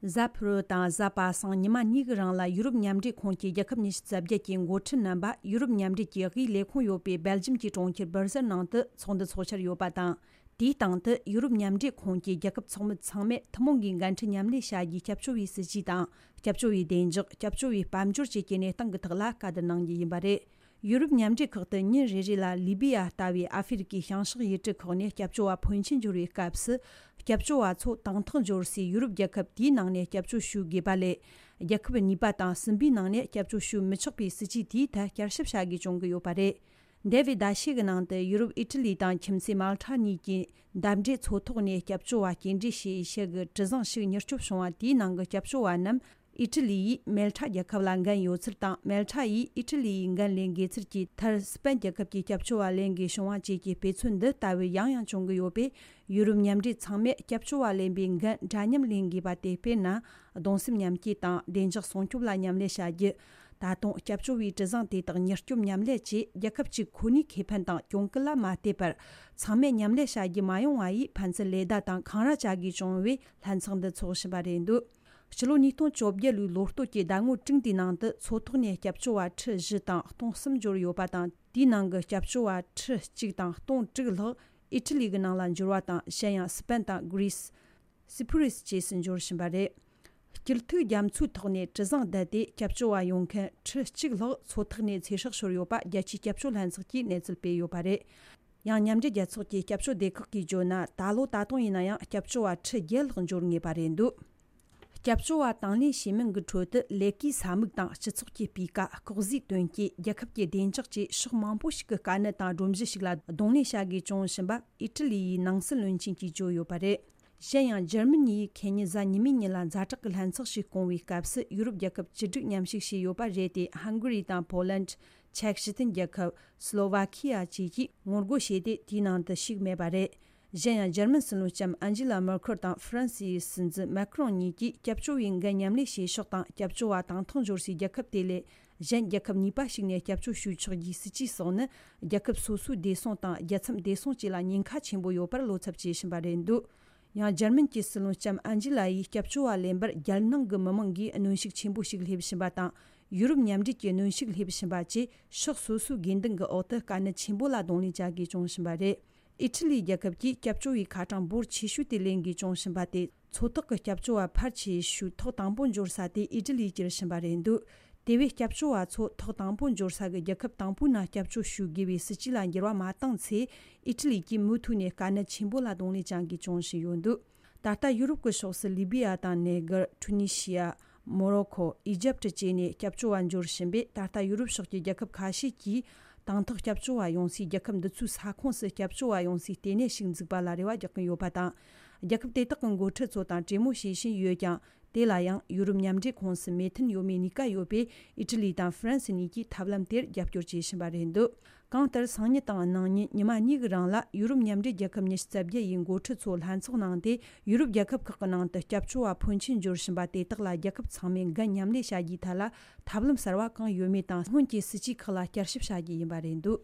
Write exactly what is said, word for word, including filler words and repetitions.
གཟའ་ཕུར་བུ་དང་གཟའ་པ་སངས་ཉི་མ་གཉིས་ཀྱི་རིང་ལ་ཡུ་རོབ་མཉམ་འབྲེལ་ཁོངས་ཀྱི་རྒྱལ་ཁབ་ཉི་ཤུ་རྩ་བརྒྱད་ཀྱི་འགོ་ཁྲིད་རྣམ་པ་ཡུ་རོབ་མཉམ་འབྲེལ་གྱི་དབུས་ལས་ཁུངས་ཡོད་པའི་སྦེལ་ཇམ་གྱི་གྲོང་ཁྱེར་སྦར་སེལ་ནང་དུ་ཚོགས་འདུ་ཚོགས་འཆར་ཡོད་པ་དང་། དེའི་སྟེང་དུ་ཡུ་རོབ་མཉམ་འབྲེལ་ཁོངས་ཀྱི་རྒྱལ་ཁབ་ཚོགས་མི་ཚང་མས་ཐུན་མོང་གི་འགན་འཁྲི་མཉམ་ལས་བྱ་རྒྱུའི་སྐྱབས་བཅོལ་བའི་སྲིད་ཇུས་དང་། སྐྱབས་བཅོལ་བའི་བདེ་འཇགས། སྐྱབས་བཅོལ་བའི་དཔལ་འབྱོར་བཅས་ཀྱི་གནས་སྟངས་ཀྱི་ཐོག་ལ་བཀའ་བསྡུར་གནང་རྒྱུ་ཡིན་པ་རེད། ཡུ་རོབ་མཉམ་འབྲེལ་ཁག་ཏུ་ཉིན་རེ་རེ་ལ་ལི་བི་ཡ་ལྟ་བུའི་ཨ་ཧྥེ་རི་ཀའི་བྱང་ཤར་ཡུལ་གྲུ་ཁག་ནས་སྐྱབས་བཅོལ་བ་ཕོན་ཆེན་འབྱོར་བའི་སྐབས་སུ། སྐྱབས་བཅོལ་བ་ཚོ་དང་ཐོག་འབྱོར་སའི་ཡུ་རོབ་རྒྱལ་ཁབ་དེའི་ནང་ནས་སྐྱབས་བཅོལ་ཞུ་དགོས་པ་ལས། རྒྱལ་ཁབ་གཉིས་པ་དང་གསུམ་པའི་ནང་ནས་སྐྱབས་བཅོལ་ཞུ་མི་ཆོག་པའི་སྲིད་ཇུས་དེའི་ཐད་བསྐྱར་ཞིབ་བྱ་དགོས་བྱུང་གི་ཡོད་པ་རེད། འདས་པའི་ཟླ་ཤས་ཀྱི་ནང་དུ་ཡུ་རོབ་ཨི་ཊ་ལི་དང་ཁྱིམ་མཚེས་མལ་ཁྲ་གཉིས་ཀྱི་འདབས་འབྲེལ་མཚོ་ཐོག་ནས་སྐྱབས་བཅོལ་བ་སྐྱེལ་འདྲེན་བྱེད་ཡུལ་གྱི་གྲུ་གཟིངས་ཤིག་མྱུར་སྐྱོབ་བྱུང་བ་དེའི་ནང་གི་སྐྱབས་བཅོལ་བ་རྣམས། ཨི་ཊ་ལི་ཡིས་མལ་ཁྲ་རྒྱལ་ཁབ་ལ་འགན་ཡོད་ཚུལ་དང་། མལ་ཁྲ་ཡིས་ཨི་ཊ་ལི་ཡི་འགན་ལེན་དགོས་ཚུལ་གྱི་མཐར། སི་པན་རྒྱལ་ཁབ་ཀྱི་སྐྱབས་བཅོལ་བ་ལེན་དགོས་བྱུང་བ་བཅས་ཀྱི་དཔེ་མཚོན་འདི་ལྟ་བུ་ཡང་ཡང་བྱུང་གི་ཡོད་པས། ཡུ་རོབ་མཉམ་འབྲེལ་ཚང་མས་སྐྱབས་བཅོལ་བ་ལེན་པའི་འགན་འདྲ་མཉམ་ལེན་དགོས་པ་སྟེ། དཔེར་ན། གདུང་སེམས་མཉམ་སྐྱེད་དང་བདེ་འཇགས་སྲུང་སྐྱོབ་ལ་མཉམ་ལས་བྱ་རྒྱུ། ད་དུང་སྐྱབས་བཅོལ་བའི་གྲུ་གཟིངས་དེ་དག་མྱུར་སྐྱོབ་མཉམ་ལས་བཅས། རྒྱལ་ཁབ་གཅིག་ཁོ་ནའི་ཁེ་ཕན་དང་གྱོང་གུན་ལ་མ་བལྟས་པར། ཚང་མས་མཉམ་ལས་བྱ་རྒྱུ་མ་ཡོང་བ་ཡིས། ཕན་ཚུན་ལེ་བདའ་དང་འཁང་ར་བྱ་དགོས་བྱུང་བས། ལྷན་ཚོགས་འདི་འཚོགས་བཞིན་པ་རེད་འདུག་ཕྱི་ལོ་ཉིས་སྟོང་བཅོ་བརྒྱད་ལོའི་ལོ་སྟོད་ཀྱི་ཟླ་ངོ་དྲུག་འདིའི་ནང་དུ། མཚོ་ཐོག་ནས་སྐྱབས་བཅོལ་བ་ཁྲི་བཞི་དང་སྟོང་གསུམ་འབྱོར་ཡོད་པ་དང་། དེའི་ནང་གི་སྐྱབས་བཅོལ་བ་ཁྲི་གཅིག་དང་སྟོང་དྲུག་ལྷག་ཨི་ཊ་ལི་གི་ནང་ལ་འབྱོར་བ་དང་། གཞན་ཡང་སི་པན་དང་གྷི་རི་སི། སི་པུ་རི་སི་བཅས་སུ་འབྱོར་བཞིན་པ་རེད། སྐྱིད་ཐིག་རྒྱ་མཚོའི་ཐོག་ནས་གྲུ་གཟིངས་བསྡད་དེ་སྐྱབས་བཅོལ་བ་ཡོང་མཁན་ཁྲི་གཅིག་ལྷག་མཚོ་ཐོག་ནས་ཚེ་སྲོག་ཤོར་ཡོད་པ། རྒྱལ་སྤྱིའི་སྐྱབས་བཅོལ་ལྷན་ཚོགས་ཀྱིས་གནས་ཚུལ་སྤེལ་ཡོད་པ་རེད། ཡང་། མཉམ་འབྲེལ་རྒྱལ་ཚོགས་ཀྱི་སྐྱབས་བཅོལ་སྡེ་ཁག་གིས་བརྗོད་ན། ད་ལོ་ད་དུང་ཡིན་ན་ཡང་སྐྱབས་བཅོལ་བ་ཁྲི་བརྒྱད་ལྷག་འབྱོར་ངེས་པ་རེད་འདུག་སྐྱབས་བཅོལ་བ་དང་ལེན་བྱེད་མིན་གྱི་ཁྲོད་དུ། ལས་ཀའི་ས་མིག་དང་སྤྱི་ཚོགས་ཀྱི་སྤུས་ཀ། ལྐོག་ཟའི་དོན་རྐྱེན། རྒྱལ་ཁབ་ཀྱི་བདེ་འཇགས་བཅས་ཕྱོགས་མང་པོ་ཞིག་གི་དཀའ་གནད་དང་སྒྲོམ་གཞི་ཞིག་ལ་གདོང་ལེན་བྱ་དགོས་བྱུང་བཞིན་པ་ཨི་ཊ་ལི་ཡི་ནང་སྲིད་བློན་ཆེན་གྱིས་བརྗོད་ཡོད་པ་རེད། གཞན་ཡང་། འཇར་མ་ནི་ཡིས་ཁེ་ཉིན་གཟའ་ཉི་མའི་ཉིན་ལ་ཛ་དྲག་གི་ལྷན་ཚོགས་ཤིག་བསྐོང་བའི་སྐབས་སུ། ཡུ་རོབ་རྒྱལ་ཁབ་བཅུ་དྲུག་མཉམ་ཞུགས་བྱས་ཡོད་པ་རེད་དེ། ཧང་གྷ་རི་དང་པོ་ལན། ཅེཀ་སྤྱི་མཐུན་རྒྱལ་ཁབ། སི་ལོ་ཝ་ཁི་ཡ་བཅས་ཀྱིས་ངོ་རྒོལ་བྱས་ཏེ། དེའི་ནང་དུ་ཞུགས་མེད་པ་རེད། གཞན་ཡང་། འཇར་མན་སྲིད་བློན་ལྕམ་ཨན་ཇི་ལ་མེར་ཁེལ་དང་ཧྥ་རན་སིའི་སྲིད་འཛིན་མེ་ཁི་རོང་གཉིས་ཀྱིས་སྐྱབས་བཅོལ་བའི་འགན་མཉམ་ལེན་བྱེད་ཕྱོགས་དང་། སྐྱབས་བཅོལ་བ་དང་ཐོག་འབྱོར་སའི་རྒྱལ་ཁབ་དེ་ལས་གཞན་རྒྱལ་ཁབ་གཉིས་པ་ཞིག་ནས་སྐྱབས་བཅོལ་ཞུ་ཆོག་རྒྱུའི་སྲིད་ཇུས་སོགས་ནི། རྒྱལ་ཁབ་སོ་སོའི་བདེ་སྲུང་དང་རྒྱལ་མཚམས་བདེ་སྲུང་བཅས་ལ་ཉེན་ཁ་ཆེན་པོ་ཡོད་པར་བློ་འཚབ་བྱེད་བཞིན་པ་རེད་འདུག་ཡང་། འཇར་མན་གྱི་སྲིད་བློན་ལྕམ་ཨན་ཇི་ལ་ཡིས་སྐྱབས་བཅོལ་བ་ལེན་པར་རྒྱལ་ནང་གི་མི་མང་གིས་གནོན་ཤུགས་ཆེན་པོ་ཞིག་སླེབས་བཞིན་པ་དང་། ཡུ་རོབ་མཉམ་འབྲེལ་གྱིས་གནོན་ཤུགས་སླེབས་བཞིན་པ་བཅས། ཕྱོགས་སོ་སོའི་དགོས་འདུན་གྱི་འོག་ཏུ་དཀའ་གནད་ཆེན་པོ་ལ་གདོང་ལེན་བྱ་དགོས་བྱུང་བཞིན་པ་རེད། ཨི་ཊ་ལི་རྒྱལ་ཁབ་ཀྱིས་སྐྱབས་བཅོལ་བའི་ཁ་གྲངས་འབོར་ཆེ་ཤོས་དེ་ལེན་དགོས་བྱུང་བཞིན་པ་སྟེ། མཚོ་ཐོག་གི་སྐྱབས་བཅོལ་བ་ཕལ་ཆེ་ཤོས་ཐོག་དང་པོ་འབྱོར་ས་དེ་ཨི་ཊ་ལིར་གྱུར་བཞིན་པ་རེད་འདུག་དེ་བས་སྐྱབས་བཅོལ་བ་ཚོ་ཐོག་དང་པོ་འབྱོར་ས་གི་རྒྱལ་ཁབ་དང་པོའི་ནང་སྐྱབས་བཅོལ་ཞུ་དགོས་པའི་སྲིད་ཇུས་ལ་འགྱུར་བ་མ་བཏང་ཚེ། ཨི་ཊ་ལི་གིས་མུ་མཐུད་ནས་དཀའ་གནད་ཆེན་པོ་ལ་གདོང་ལེན་བྱ་དགོས་བྱུང་བཞིན་ཡོད་འདུག་ད་ལྟ་ཡུ་རོབ་ཀྱི་ཕྱོགས་སུ་ལི་བི་ཡ་དང་། ནེ་གར། ཊུ་ནི་ཤི་ཡ། མོ་རོ་ཁོ། ཨི་ཇེབ་བཅས་ནས་སྐྱབས་བཅོལ་བ་འབྱོར་བཞིན་པས། ད་ལྟ་ཡུ་རོབ་ཕྱོགས་ཀྱི་རྒྱལ་ཁབ་ཁ་ཤས་ཀྱིས་དང་ཐོག་སྐྱབས་བཅོལ་བ་ཡོང་སའི་རྒྱལ་ཁབ་འདི་ཚོའི་ས་ཁོངས་སུ་སྐྱབས་བཅོལ་བ་ཡོང་སའི་ལྟེ་གནས་ཤིག་འཛུགས་པ་ལ་རེ་བ་རྒྱག་གིན་ཡོད་པ་དང་། རྒྱལ་ཁབ་དེ་དག་གི་འགོ་ཁྲིད་ཚོ་དང་གྲོས་མོལ་བྱེད་བཞིན་ཡོད་ཀྱང་། དེ་ལ་ཡང་ཡུ་རོབ་མཉམ་འབྲེལ་ཁོངས་སུ་མོས་མཐུན་ཡོད་མེད་གཉིས་ཀ་ཡོད་པས། ཨི་ཊ་ལི་དང་ཧྥ་རན་སི་གཉིས་ཀྱིས་ཐབས་ལམ་དེར་རྒྱབ་སྐྱོར་བྱེད་བཞིན་པ་རེད་འདུག་གང་ལྟར། སང་ཉིན་དང་གནངས་ཉིན་ཉི་མ་གཉིས་ཀྱི་རིང་ལ་ཡུ་རོབ་མཉམ་འབྲེལ་རྒྱལ་ཁབ་ཉི་ཤུ་རྩ་བརྒྱད་ཡི་འགོ་ཁྲིད་ཚོ་ལྷན་ཚོགས་གནང་སྟེ། ཡུ་རོབ་རྒྱལ་ཁབ་ཁག་གི་ནང་དུ་སྐྱབས་བཅོལ་བ་ཕོན་ཆེན་འབྱོར་བཞིན་པ་དེ་དག་ལ་རྒྱལ་ཁབ་ཚང་མས་འགན་མཉམ་ལེན་བྱ་རྒྱུའི་ཐད་ལ་ཐབས་ལམ་གསར་བ་གང་ཡོད་མེད་དང་། སྔོན་གྱི་སྲིད་ཇུས་ཁག་ལ་བསྐྱར་ཞིབ་བྱ་རྒྱུ་ཡིན་པ་རེད་འདུག